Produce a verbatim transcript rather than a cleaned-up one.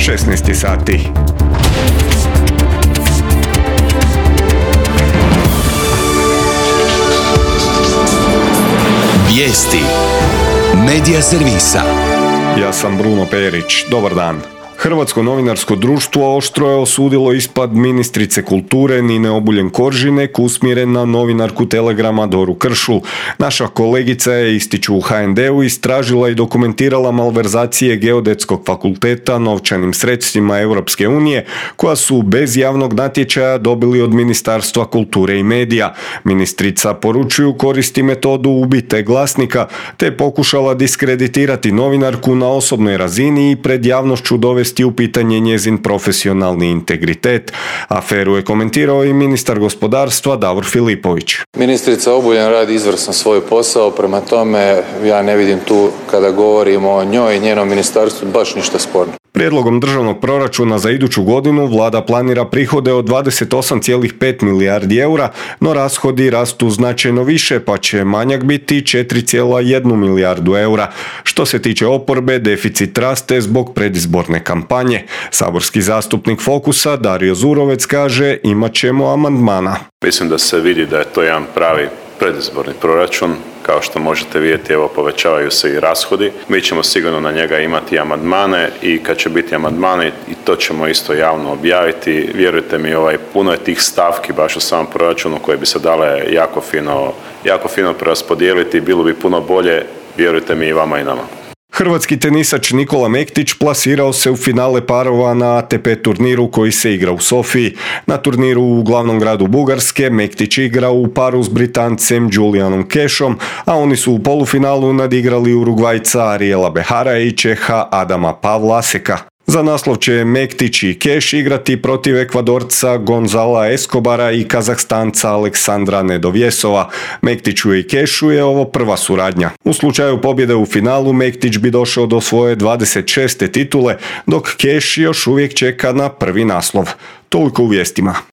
šesnaest sati. Vijesti Medija servisa. Ja sam Bruno Perić. Dobar dan. Hrvatsko novinarsko društvo oštro je osudilo ispad ministrice kulture Nine Obuljen Koržinek usmjeren na novinarku Telegrama Doru Kršul. Naša kolegica je, ističu u ha en de u, istražila i dokumentirala malverzacije Geodetskog fakulteta novčanim sredstvima Europske unije koja su bez javnog natječaja dobili od Ministarstva kulture i medija. Ministrica, poručuju, koristi metodu ubite glasnika te pokušala diskreditirati novinarku na osobnoj razini i pred javnošću dovesti u pitanje njezin profesionalni integritet. Aferu je komentirao i ministar gospodarstva Davor Filipović. Ministrica Obuljen radi izvrsno svoj posao, prema tome ja ne vidim tu, kada govorimo o njoj i njenom ministarstvu, baš ništa sporno. Prijedlogom državnog proračuna za iduću godinu vlada planira prihode od dvadeset osam zarez pet milijardi eura, no rashodi rastu značajno više, pa će manjak biti četiri zarez jedna milijardu eura. Što se tiče oporbe, deficit raste zbog predizborne kampanje. Saborski zastupnik Fokusa Dario Zurovec kaže imat ćemo amandmana. Mislim da se vidi da je to jedan pravi predizborni proračun. Kao što možete vidjeti, evo, povećavaju se i rashodi. Mi ćemo sigurno na njega imati amandmane i kad će biti amandmani, i to ćemo isto javno objaviti. Vjerujte mi, ovaj, puno je tih stavki baš u samom proračunu koje bi se dale jako fino, jako fino preraspodijeliti. Bilo bi puno bolje, vjerujte mi, i vama i nama. Hrvatski tenisač Nikola Mektić plasirao se u finale parova na a te pe turniru koji se igra u Sofiji. Na turniru u glavnom gradu Bugarske Mektić igra u paru s Britancem Julianom Cashom, a oni su u polufinalu nadigrali Urugvajca Ariela Behara i Čeha Adama Pavlaseka. Za naslov će Mektić i Cash igrati protiv Ekvadorca Gonzala Escobara i Kazahstanca Aleksandra Nedovjesova. Mektiću i Cashu je ovo prva suradnja. U slučaju pobjede u finalu Mektić bi došao do svoje dvadeset šeste titule, dok Cash još uvijek čeka na prvi naslov. Toliko u vijestima.